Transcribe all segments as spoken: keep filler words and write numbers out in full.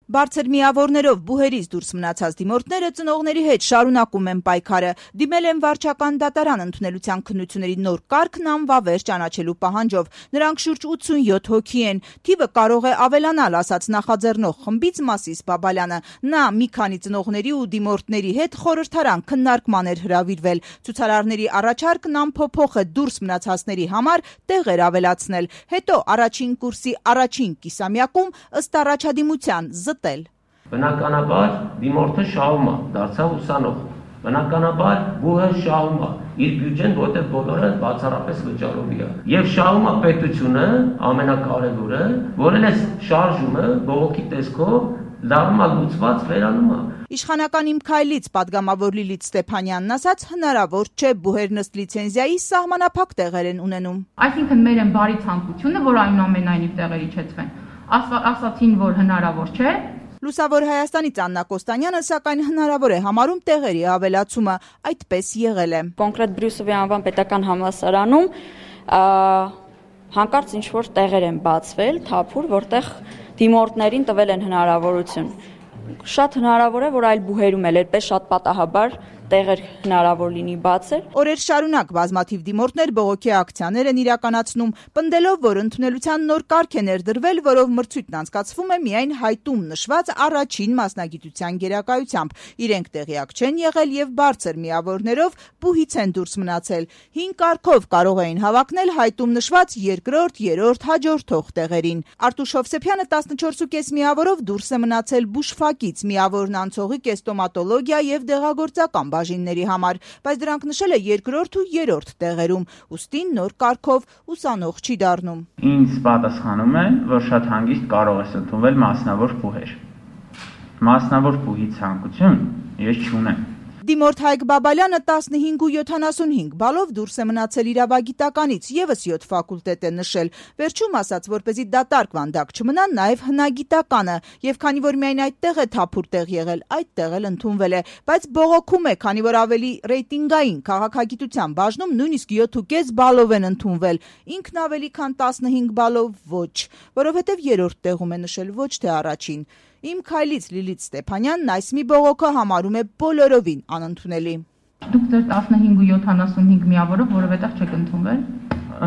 Բարձր միավորներով բուհերից դուրս մնացած դիմորդները ծնողների հետ շարունակում են պայքարը, դիմել են վարչական դատարան ընդունելության քննությունների նոր կարգն անվավեր ճանաչելու պահանջով։ Նրանք շուրջ ութսունյոթ հոգի են, թիվը կարող է ավելանալ, ասաց նախաձեռնող խմբից Մասիս Բաբալյանը։ Նա մի քանի ծնողների ու դիմորդների հետ խորհրդարան քննարկման էր հրավիրվել։ Ցուցարարների առաջարկն անփոփոխ է դուրս մնացածների համար տեղեր ավելացնել, հետո առաջին կուրսի առաջին կիսամյակում ըստ առաջադիմության զտել։ Բնականաբար դիմորդը շահում է, դարձավ ուսանող։ Բնականաբար բուհը շահում է, իր բյուջեն, որտեղ բոլորը բացառապես վճարովի է։ Եվ շահում է պետությունը, ամենակարևորը, որն է շարժումը բողոքի տեսքով լարում է լուծված վերանում է։ Իշխանական Իմ քայլից պատգամավոր Լիլիթ Ստեփանյանն ասաց, հնարավոր չէ բուհերն ըստ լիցենզիայի սահմանափակ տեղեր են ունենում։ Այսինքն մեր են բարի ցանկությունը, որ այնուամենայնիվ տեղեր իջեցվեն։ Ասացին, որ հնարավոր չէ։ Լուսավոր Հայաստանից Աննա Կոստանյանը սակայն հնարավոր է համարում տեղերի ավելացումը, այդպես եղել է։ Կոնկրետ Բրյուսովի անվան պետական համալսարանում հանկարծ ինչ-որ տեղեր են բացվել, թափուր, որտեղ դիմորդներին տվել են հնարավորություն։ Շատ հնարավոր է, որ այլ բուհերում էլ այդպես շատ պատահաբար տեղեր հնարավոր լինի բացել։ Օրեր շարունակ բազմաթիվ դիմորդներ բողոքի ակցիաներ են իրականացնում, պնդելով, որ ընդունելության նոր կարգ է ներդրվել, որով մրցույթն անցկացվում է միայն հայտում նշված առաջին մասնագիտության գերակայությամբ։ Իրենք տեղյակ չեն եղել եւ բարձր միավորներով բուհից են դուրս մնացել։ Հին կարգով կարող էին հավակնել հայտում նշված երկրորդ, երրորդ, հաջորդող տեղերին։ Արտուշ Հովսեփյանը տասնչորս միավորով դուրս է մնացել բուժֆակից, միավորն անցողիկ է ստոմատոլոգիա եւ դեղագործական բաժինների համար, բայց դրանք նշել է երկրորդ ու երրորդ տեղերում, ուստի նոր կարգով ուսանող չի դառնում։ Ինձ պատասխանում է, որ շատ հանգիստ կարող ես ընդունվել մասնավոր բուհեր։ Մասնավոր բուհի ցանկություն ես չունեմ։ Դիմորդ Հայկ Բաբալյանը տասնհինգ ու յոթանասունհինգ բալով դուրս է մնացել իրավագիտականից, եւս յոթ ֆակուլտետ է նշել։ Վերջում ասաց, որպեսզի դատարկ վանդակ չմնա, նաեւ հնագիտականը, եւ քանի որ միայն այդտեղ է թափուր տեղ եղել, այդտեղ էլ ընդունվել է, բայց բողոքում է, քանի որ ավելի ռեյտինգային քաղաքագիտության բաժնում նույնիսկ յոթ ու կես բալով են ընդունվել, ինքն ավելի քան տասնհինգ բալով ոչ, որովհետեւ երրորդ տեղում է նշել, ոչ թե առաջին։ Իմ քայլից Լիլիթ Ստեփանյանն այս մի բողոքը համարում է բոլորովին անընդունելի։ Դուք ձեր տասնհինգ ու յոթանասունհինգ միավորով որևէտեղ չեք ընդունվել։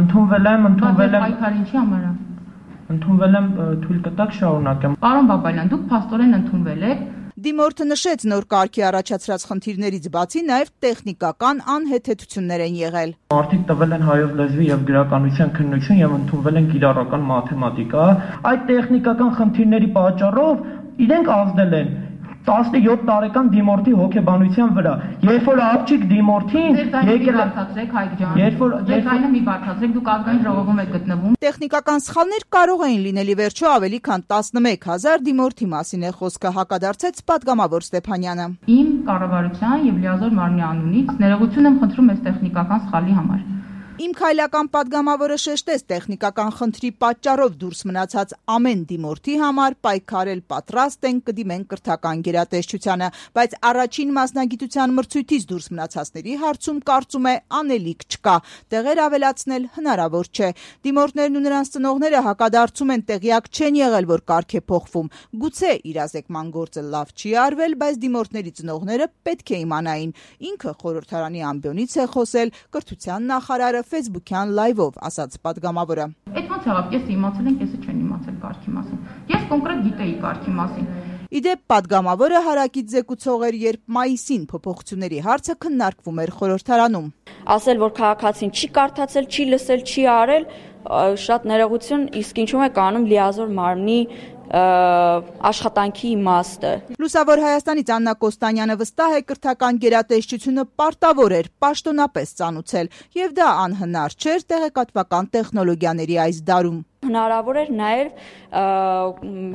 Ընդունվել եմ, ընդունվել եմ։ Պայքար ինչի համար է։ Ընդունվել եմ, թույլ կտակ շարունակեմ։ Պարոն Բաբալյան, դուք փաստորեն ընդունվել եք։ Դիմորդը նշեց նոր կարգի առաջացրած խնդիրներից բացի նաև տեխնիկական անհեթեթություններ են եղել։ Մարդիկ տվել են հայոց լեզվի եւ գրականության քննություն եւ ընդունվել են կիրառական մաթեմատիկա։ Այդ տեխնիկական խնդիրների պատճառով իրենք ազդել են տասնյոթ տարեկան դիմորդի հոգեբանության վրա։ Երբ որ աղջիկ դիմորդին եկել է բարձրացրեք Հայկ ջան։ Երբ որ ձայնը մի բարձրացրեք, դուք ազգային ժողովում եք գտնվում։ Տեխնիկական սխալներ կարող էին լինել, ի վերջո ավելի քան տասնմեկ հազար դիմորդի մասին է խոսքը, հակադարձեց պատգամավոր Ստեփանյանը։ Իմ կառավարության եւ լիազոր մարմնի անունից ներողություն եմ խնդրում այս տեխնիկական սխալի համար։ Իմ քայլական պատգամավորը շեշտեց տեխնիկական խնդրի պատճառով դուրս մնացած ամեն դիմորդի համար պայքարել պատրաստ են, կդիմեն կրթական գերատեսչությանը, բայց առաջին մասնագիտության մրցույթից դուրս մնացածների հարցում կարծում է անելիք չկա, տեղեր ավելացնել հնարավոր չէ։ Դիմորդներն ու նրանց ծնողները հակադարձում են, տեղյակ չեն եղել, որ կարգ է փոխվում։ Գուցե իրազեկման գործը լավ չի արվել, բայց դիմորդների ծնողները պետք է իմանային։ Ինքը խորհրդարանի ամբիոնից է խոսել, կրթության նախարարը Facebook-յան լայվով, ասաց պատգամավորը։ Այդ ոնց եղավ, կեսը իմացել են, կեսը չեն իմացել կարգի մասին։ Ես կոնկրետ գիտեի կարգի մասին։ Իդեպ պատգամավորը հարակից զեկուցող էր, երբ մայիսին փոփոխությունների հարցը քննարկվում էր խորհրդարանում։ Ասել, որ քաղաքացին չի կարդացել, չի լսել, չի արել, շատ ներողություն, իսկ ինչու՞ է կանում լիազոր մարմնի աշխատանքի իմաստը։ Լուսավոր Հայաստանից Աննա Կոստանյանը վստահ է, կրթական գերատեսչությունը պարտավոր էր պաշտոնապես ծանուցել, եւ դա անհնար չէր տեղեկատվական տեխնոլոգիաների այս դարում։ Հնարավոր էր նաև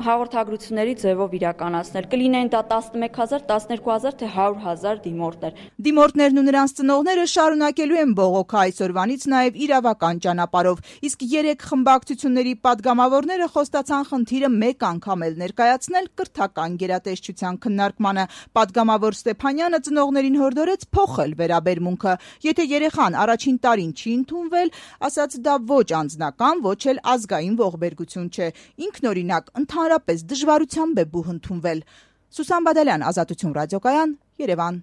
հաղորդագրությունների ձևով իրականացնել։ Կլինեն դա տասնմեկ հազար, տասներկու հազար, թե հարյուր հազար դիմորդներ։ Դիմորդներն ու նրանց ծնողները շարունակելու են բողոքը այսօրվանից նաև իրավական ճանապարհով։ Իսկ երեք խմբակցությունների պատգամավորները խոստացան խնդիրը մեկ անգամ էլ ներկայացնել կրթական գերատեսչության քննարկմանը։ Պատգամավոր Ստեփանյանը ծնողներին հորդորեց փոխել վերաբերմունքը։ Եթե երեխան առաջին տարին չի ընդունվել, ասաց դա ոչ անձնական, ոչ էլ ազգային բջջային ողբերգություն չէ, ինքնօրինակ ընդհանրապես դժվարությամբ է բուհ ընդունվել։ Սուսան Բադալյան, Ազատություն ռադիոկայան, Երևան։